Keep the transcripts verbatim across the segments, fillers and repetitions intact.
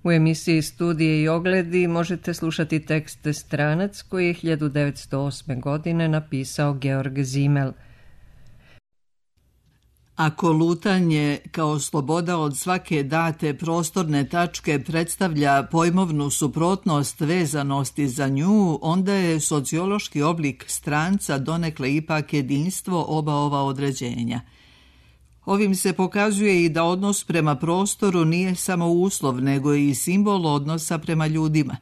U emisiji Studije i ogledi možete slušati tekst Stranac koji je hiljadu devetsto osme. godine napisao Georg Simmel. Ako lutanje kao sloboda od svake date prostorne tačke predstavlja pojmovnu suprotnost vezanosti za nju, onda je sociološki oblik stranca donekle ipak jedinstvo oba ova određenja. Ovim se pokazuje i da odnos prema prostoru nije samo uslov, nego i simbol odnosa prema ljudima.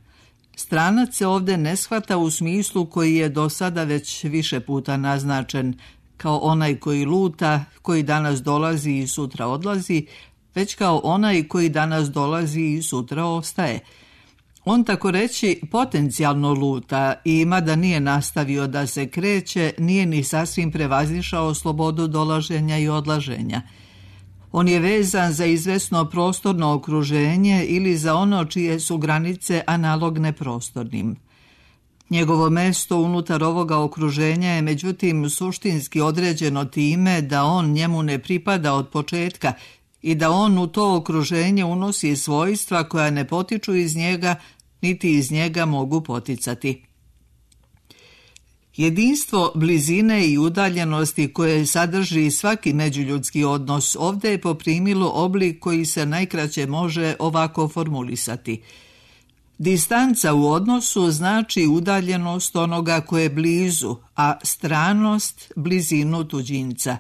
Stranac se ovde ne shvata u smislu koji je do sada već više puta naznačen, kao onaj koji luta, koji danas dolazi i sutra odlazi, već kao onaj koji danas dolazi i sutra ostaje. On tako reći potencijalno luta i mada nije nastavio da se kreće, nije ni sasvim prevazišao slobodu dolaženja i odlaženja. On je vezan za izvesno prostorno okruženje ili za ono čije su granice analogne prostornim. Njegovo mesto unutar ovoga okruženja je međutim suštinski određeno time da on njemu ne pripada od početka i da on u to okruženje unosi svojstva koja ne potiču iz njega, niti iz njega mogu poticati. Jedinstvo blizine i udaljenosti koje sadrži svaki međuljudski odnos ovdje je poprimilo oblik koji se najkraće može ovako formulisati. Distanca u odnosu znači udaljenost onoga koje je blizu, a stranost blizinu tuđinca.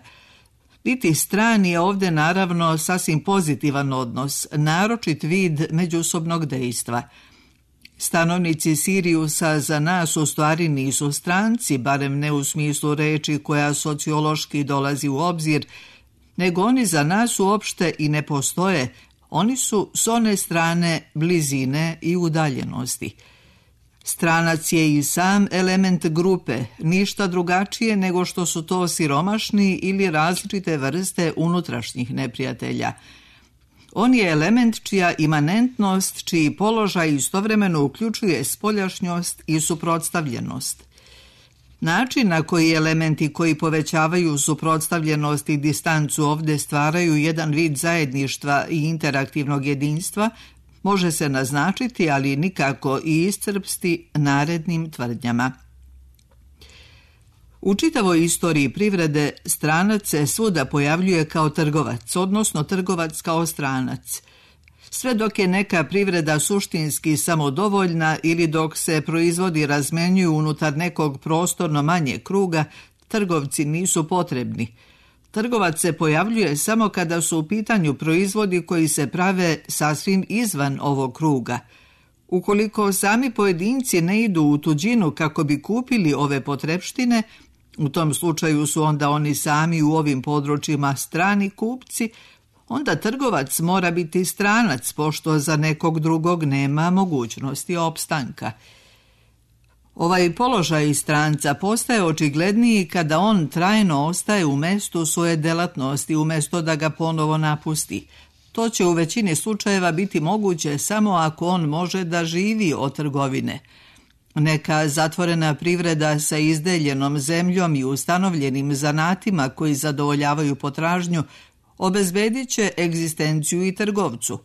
Biti stran je ovdje naravno sasvim pozitivan odnos, naročit vid međusobnog dejstva. Stanovnici Siriusa za nas u stvari nisu stranci, barem ne u smislu reči koja sociološki dolazi u obzir, nego oni za nas uopšte i ne postoje. Oni su s one strane blizine i udaljenosti. Stranac je i sam element grupe, ništa drugačije nego što su to siromašni ili različite vrste unutrašnjih neprijatelja. On je element čija imanentnost, čiji položaj istovremeno uključuje spoljašnjost i suprotstavljenost. Način na koji elementi koji povećavaju suprotstavljenost i distancu ovdje stvaraju jedan vid zajedništva i interaktivnog jedinstva može se naznačiti, ali nikako i iscrpsti narednim tvrdnjama. U čitavoj istoriji privrede stranac se svuda pojavljuje kao trgovac, odnosno trgovac kao stranac. Sve dok je neka privreda suštinski samodovoljna ili dok se proizvodi razmenjuju unutar nekog prostorno manje kruga, trgovci nisu potrebni. Trgovac se pojavljuje samo kada su u pitanju proizvodi koji se prave sasvim izvan ovog kruga. Ukoliko sami pojedinci ne idu u tuđinu kako bi kupili ove potrepštine, u tom slučaju su onda oni sami u ovim područjima strani kupci, onda trgovac mora biti stranac, pošto za nekog drugog nema mogućnosti opstanka. Ovaj položaj stranca postaje očigledniji kada on trajno ostaje u mestu svoje delatnosti, umjesto da ga ponovo napusti. To će u većini slučajeva biti moguće samo ako on može da živi od trgovine. Neka zatvorena privreda sa izdeljenom zemljom i ustanovljenim zanatima koji zadovoljavaju potražnju obezbedit će egzistenciju i trgovcu.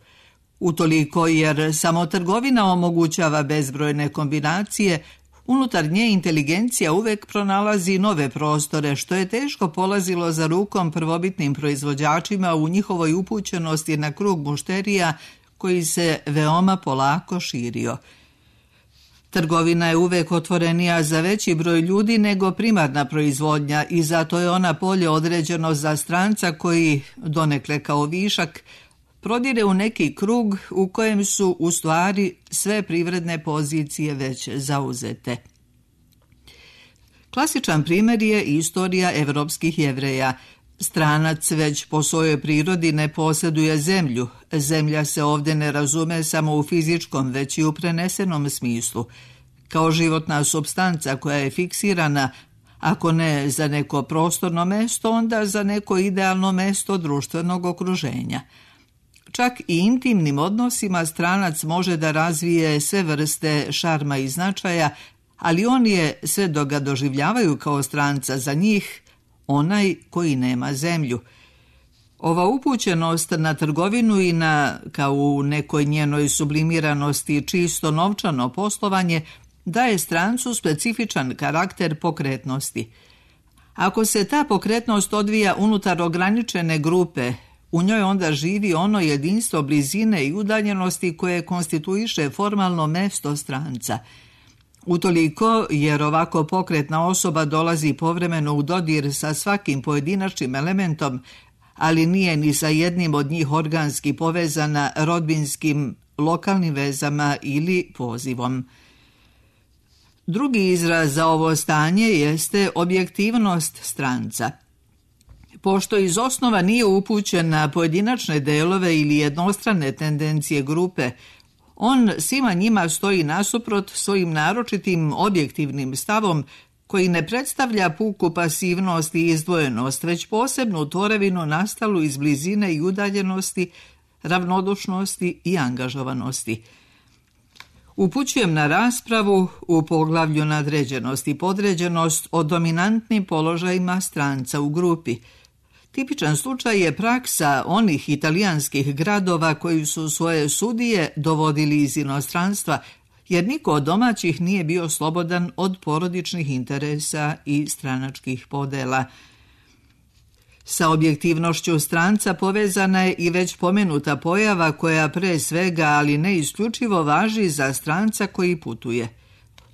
Utoliko jer samo trgovina omogućava bezbrojne kombinacije, unutar nje inteligencija uvek pronalazi nove prostore, što je teško polazilo za rukom prvobitnim proizvođačima u njihovoj upućenosti na krug mušterija koji se veoma polako širio. Trgovina je uvek otvorenija za veći broj ljudi nego primarna proizvodnja i zato je ona polje određeno za stranca koji, donekle kao višak, prodire u neki krug u kojem su u stvari sve privredne pozicije već zauzete. Klasičan primjer je istorija evropskih Jevreja. Stranac već po svojoj prirodi ne posjeduje zemlju. Zemlja se ovdje ne razume samo u fizičkom, već i u prenesenom smislu. Kao životna supstanca koja je fiksirana, ako ne za neko prostorno mesto, onda za neko idealno mesto društvenog okruženja. Čak i intimnim odnosima stranac može da razvije sve vrste šarma i značaja, ali on je, sve dok ga doživljavaju kao stranca za njih, onaj koji nema zemlju. Ova upućenost na trgovinu i na, kao u nekoj njenoj sublimiranosti, čisto novčano poslovanje daje strancu specifičan karakter pokretnosti. Ako se ta pokretnost odvija unutar ograničene grupe, u njoj onda živi ono jedinstvo blizine i udaljenosti koje konstituiše formalno mesto stranca. Utoliko, jer ovako pokretna osoba dolazi povremeno u dodir sa svakim pojedinačnim elementom, ali nije ni sa jednim od njih organski povezana rodbinskim, lokalnim vezama ili pozivom. Drugi izraz za ovo stanje jeste objektivnost stranca. Pošto iz osnova nije upućen na pojedinačne delove ili jednostrane tendencije grupe, on svima njima stoji nasuprot svojim naročitim objektivnim stavom koji ne predstavlja puku pasivnost i izdvojenost, već posebnu tvorevinu nastalu iz blizine i udaljenosti, ravnodušnosti i angažovanosti. Upućujem na raspravu u poglavlju nadređenost i podređenost o dominantnim položajima stranca u grupi. Tipičan slučaj je praksa onih italijanskih gradova koji su svoje sudije dovodili iz inostranstva, jer niko od domaćih nije bio slobodan od porodičnih interesa i stranačkih podela. Sa objektivnošću stranca povezana je i već pomenuta pojava koja pre svega, ali ne isključivo, važi za stranca koji putuje.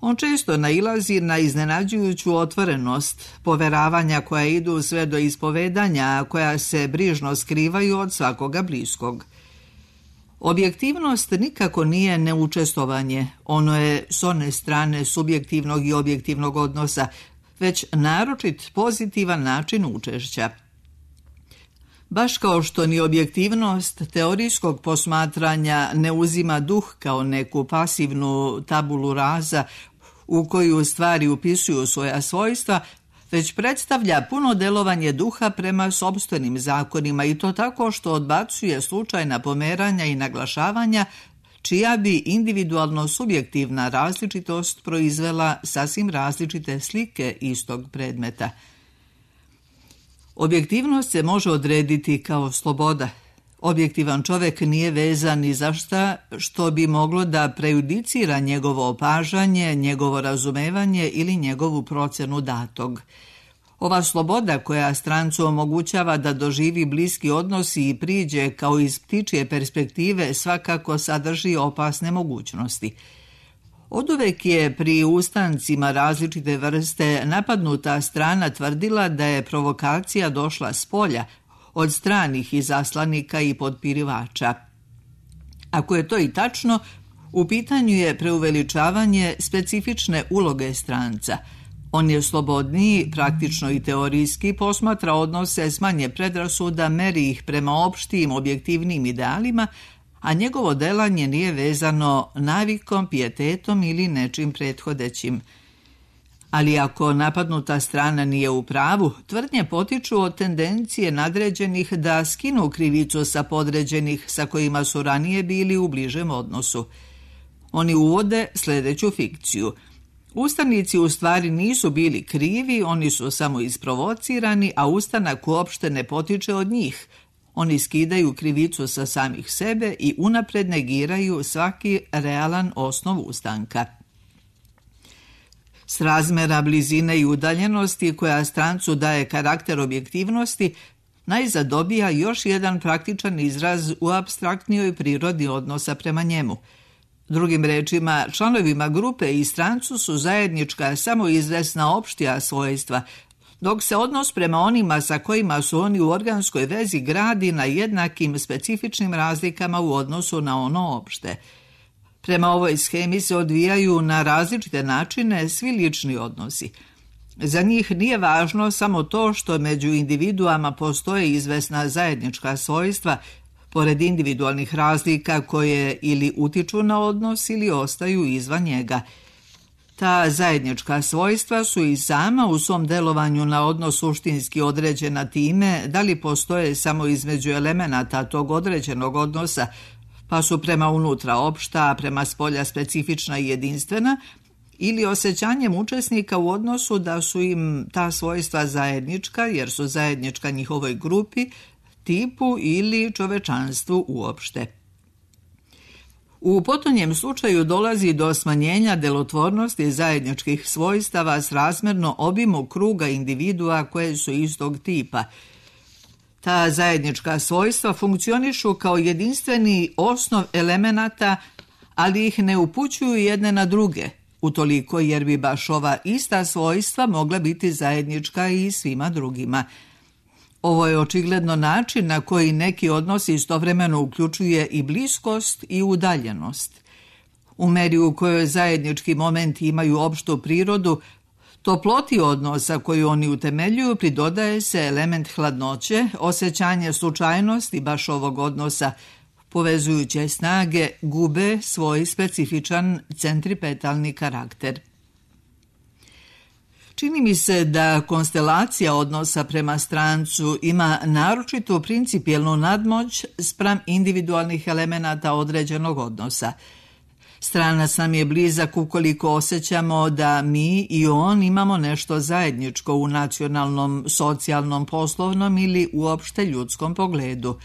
On često nailazi na iznenađujuću otvorenost, poveravanja koja idu sve do ispovedanja, a koja se brižno skrivaju od svakoga bliskog. Objektivnost nikako nije neučestvovanje, ono je s one strane subjektivnog i objektivnog odnosa, već naročit pozitivan način učešća. Baš kao što ni objektivnost teorijskog posmatranja ne uzima duh kao neku pasivnu tabulu raza u koju stvari upisuju svoja svojstva, već predstavlja puno delovanje duha prema sopstvenim zakonima i to tako što odbacuje slučajna pomeranja i naglašavanja, čija bi individualno subjektivna različitost proizvela sasvim različite slike istog predmeta. Objektivnost se može odrediti kao sloboda. Objektivan čovjek nije vezan ni za šta što bi moglo da prejudicira njegovo opažanje, njegovo razumevanje ili njegovu procenu datog. Ova sloboda koja strancu omogućava da doživi bliski odnos i priđe kao iz ptičje perspektive svakako sadrži opasne mogućnosti. Oduvek je pri ustancima različite vrste napadnuta strana tvrdila da je provokacija došla s polja, od stranih izaslanika i podpirivača. Ako je to i tačno, u pitanju je preuveličavanje specifične uloge stranca. On je slobodniji, praktično i teorijski, posmatra odnose s manje predrasuda, meri ih prema opštim, objektivnim idealima, a njegovo delanje nije vezano navikom, pijetetom ili nečim prethodećim. Ali ako napadnuta strana nije u pravu, tvrdnje potiču od tendencije nadređenih da skinu krivicu sa podređenih sa kojima su ranije bili u bližem odnosu. Oni uvode sljedeću fikciju. Ustanici u stvari nisu bili krivi, oni su samo isprovocirani, a ustanak uopšte ne potiče od njih. Oni skidaju krivicu sa samih sebe i unapred negiraju svaki realan osnov ustanka. S razmera blizine i udaljenosti koja strancu daje karakter objektivnosti, najzad dobija još jedan praktičan izraz u apstraktnijoj prirodi odnosa prema njemu. Drugim rečima, članovima grupe i strancu su zajednička samo izvesna opštija svojstva, dok se odnos prema onima sa kojima su oni u organskoj vezi gradi na jednakim specifičnim razlikama u odnosu na ono opšte. Prema ovoj shemi se odvijaju na različite načine svi lični odnosi. Za njih nije važno samo to što među individuama postoje izvesna zajednička svojstva, pored individualnih razlika koje ili utiču na odnos ili ostaju izvan njega. Ta zajednička svojstva su i sama u svom delovanju na odnos suštinski određena time da li postoje samo između elemenata tog određenog odnosa, pa su prema unutra opšta, a prema spolja specifična i jedinstvena, ili osjećanjem učesnika u odnosu da su im ta svojstva zajednička, jer su zajednička njihovoj grupi, tipu ili čovečanstvu uopšte. U potonjem slučaju dolazi do smanjenja delotvornosti zajedničkih svojstava srazmjerno obimu kruga individua koje su istog tipa. Ta zajednička svojstva funkcionišu kao jedinstveni osnov elemenata, ali ih ne upućuju jedne na druge, utoliko jer bi baš ova ista svojstva mogla biti zajednička i svima drugima. Ovo je očigledno način na koji neki odnos istovremeno uključuje i bliskost i udaljenost. U meri u kojoj zajednički momenti imaju opštu prirodu, toploti odnosa koju oni utemeljuju pridodaje se element hladnoće, osjećanje slučajnosti baš ovog odnosa. Povezujuće snage gube svoj specifičan centripetalni karakter. Čini mi se da konstelacija odnosa prema strancu ima naročitu principijelnu nadmoć spram individualnih elemenata određenog odnosa. Stranac nam je blizak ukoliko osjećamo da mi i on imamo nešto zajedničko u nacionalnom, socijalnom, poslovnom ili uopšte ljudskom pogledu.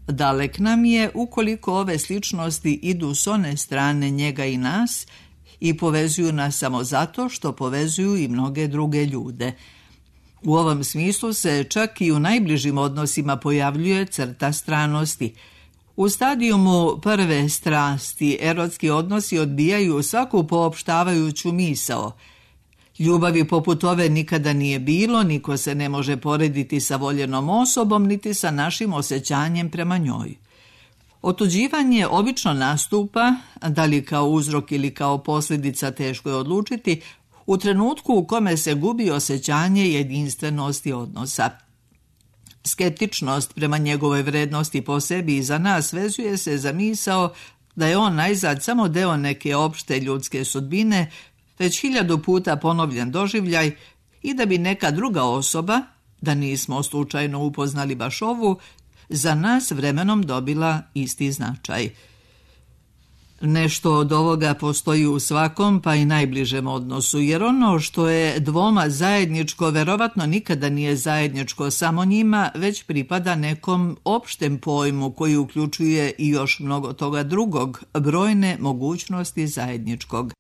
Dalek nam je ukoliko ove sličnosti idu s one strane njega i nas i povezuju nas samo zato što povezuju i mnoge druge ljude. U ovom smislu se čak i u najbližim odnosima pojavljuje crta stranosti. U stadijumu prve strasti erotski odnosi odbijaju svaku poopštavajuću misao. Ljubavi poput ove nikada nije bilo, niko se ne može porediti sa voljenom osobom, niti sa našim osjećanjem prema njoj. Otuđivanje obično nastupa, da li kao uzrok ili kao posljedica teško je odlučiti, u trenutku u kome se gubi osjećanje jedinstvenosti odnosa. Skeptičnost prema njegovoj vrednosti po sebi i za nas vezuje se za misao da je on najzad samo deo neke opšte ljudske sudbine, već hiljadu puta ponovljen doživljaj i da bi neka druga osoba, da nismo slučajno upoznali baš ovu, za nas vremenom dobila isti značaj. Nešto od ovoga postoji u svakom pa i najbližem odnosu, jer ono što je dvoma zajedničko verovatno nikada nije zajedničko samo njima, već pripada nekom opštem pojmu koji uključuje i još mnogo toga drugog, brojne mogućnosti zajedničkog.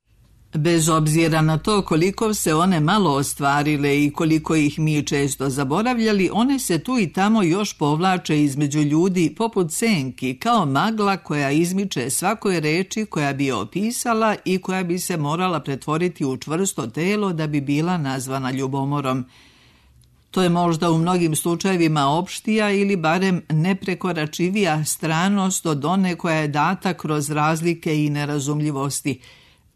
Bez obzira na to koliko se one malo ostvarile i koliko ih mi često zaboravljali, one se tu i tamo još povlače između ljudi poput senki, kao magla koja izmiče svakoj reči koja bi je opisala i koja bi se morala pretvoriti u čvrsto telo da bi bila nazvana ljubomorom. To je možda u mnogim slučajevima opštija ili barem neprekoračivija stranost od one koja je data kroz razlike i nerazumljivosti.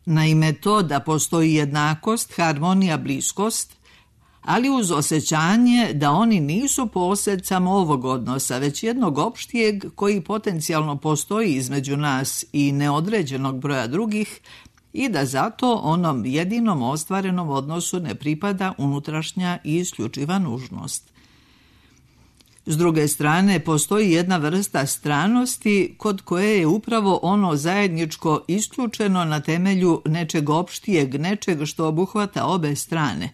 Naime, to da postoji jednakost, harmonija, bliskost, ali uz osjećanje da oni nisu posljed samo ovog odnosa, već jednog opštijeg koji potencijalno postoji između nas i neodređenog broja drugih i da zato onom jedinom ostvarenom odnosu ne pripada unutrašnja i isključiva nužnost. S druge strane, postoji jedna vrsta stranosti kod koje je upravo ono zajedničko isključeno na temelju nečeg opštijeg, nečeg što obuhvata obe strane.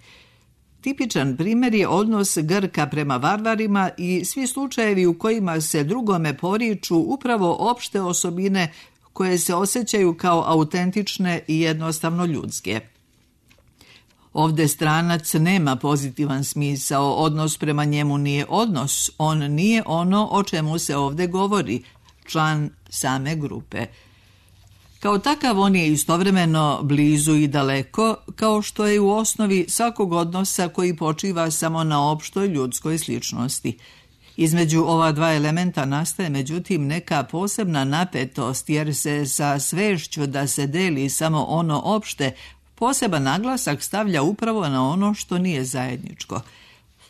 Tipičan primjer je odnos Grka prema varvarima i svi slučajevi u kojima se drugome poriču upravo opšte osobine koje se osjećaju kao autentične i jednostavno ljudske. Ovdje stranac nema pozitivan smisao, odnos prema njemu nije odnos, on nije ono o čemu se ovdje govori, član same grupe. Kao takav on je istovremeno blizu i daleko, kao što je u osnovi svakog odnosa koji počiva samo na opštoj ljudskoj sličnosti. Između ova dva elementa nastaje međutim neka posebna napetost jer se sa svešću da se deli samo ono opšte poseban naglasak stavlja upravo na ono što nije zajedničko.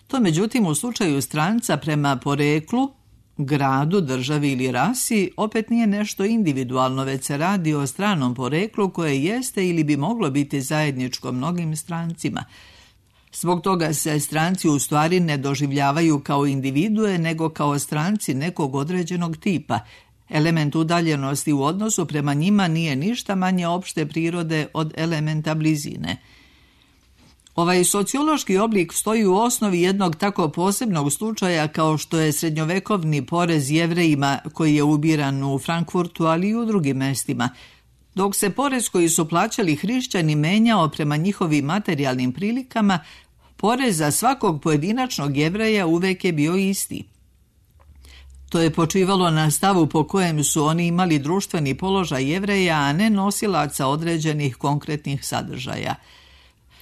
To međutim u slučaju stranca prema poreklu, gradu, državi ili rasi opet nije nešto individualno, već se radi o stranom poreklu koje jeste ili bi moglo biti zajedničko mnogim strancima. Zbog toga se stranci u stvari ne doživljavaju kao individue, nego kao stranci nekog određenog tipa. Element udaljenosti u odnosu prema njima nije ništa manje opšte prirode od elementa blizine. Ovaj sociološki oblik stoji u osnovi jednog tako posebnog slučaja kao što je srednjovekovni porez Jevrejima koji je ubiran u Frankfurtu, ali i u drugim mestima, dok se porez koji su plaćali hrišćani menjao prema njihovim materijalnim prilikama, porez za svakog pojedinačnog Jevreja uvek je bio isti. To je počivalo na stavu po kojem su oni imali društveni položaj Jevreja, a ne nosilaca određenih konkretnih sadržaja.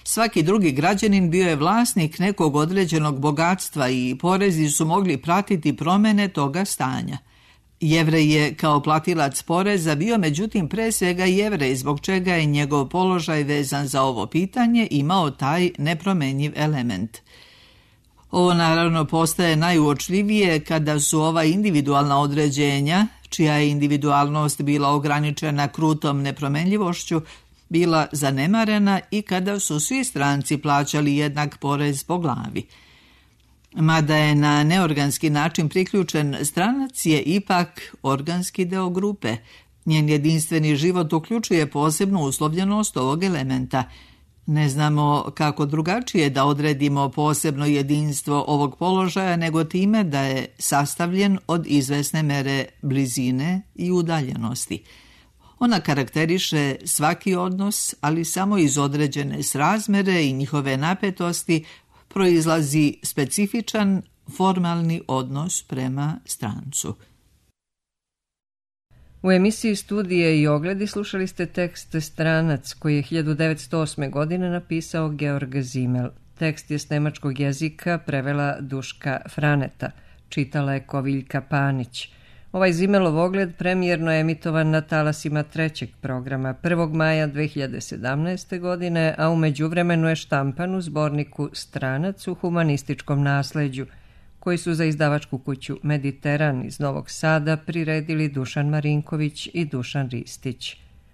Svaki drugi građanin bio je vlasnik nekog određenog bogatstva i porezi su mogli pratiti promene toga stanja. Jevrej je kao platilac poreza bio međutim pre svega Jevrej, zbog čega je njegov položaj vezan za ovo pitanje imao taj nepromenjiv element. Ovo naravno postaje najuočljivije kada su ova individualna određenja, čija je individualnost bila ograničena krutom nepromenljivošću, bila zanemarena i kada su svi stranci plaćali jednak porez po glavi. Mada je na neorganski način priključen, stranac je ipak organski deo grupe. Njen jedinstveni život uključuje posebnu uslovljenost ovog elementa. Ne znamo kako drugačije da odredimo posebno jedinstvo ovog položaja nego time da je sastavljen od izvesne mere blizine i udaljenosti. Ona karakteriše svaki odnos, ali samo iz određene srazmere i njihove napetosti proizlazi specifičan formalni odnos prema strancu. U emisiji Studije i ogledi slušali ste tekst Stranac koji je hiljadu devetsto osme. godine napisao Georg Simmel. Tekst je s nemačkog jezika prevela Duška Franeta, čitala je Koviljka Panić. Ovaj Simmelov ogled premijerno je emitovan na talasima trećeg programa prvog maja dve hiljade sedamnaeste. godine, a u međuvremenu je štampan u zborniku Stranac u humanističkom nasleđu, koji su za izdavačku kuću Mediteran iz Novog Sada priredili Dušan Marinković i Dušan Ristić.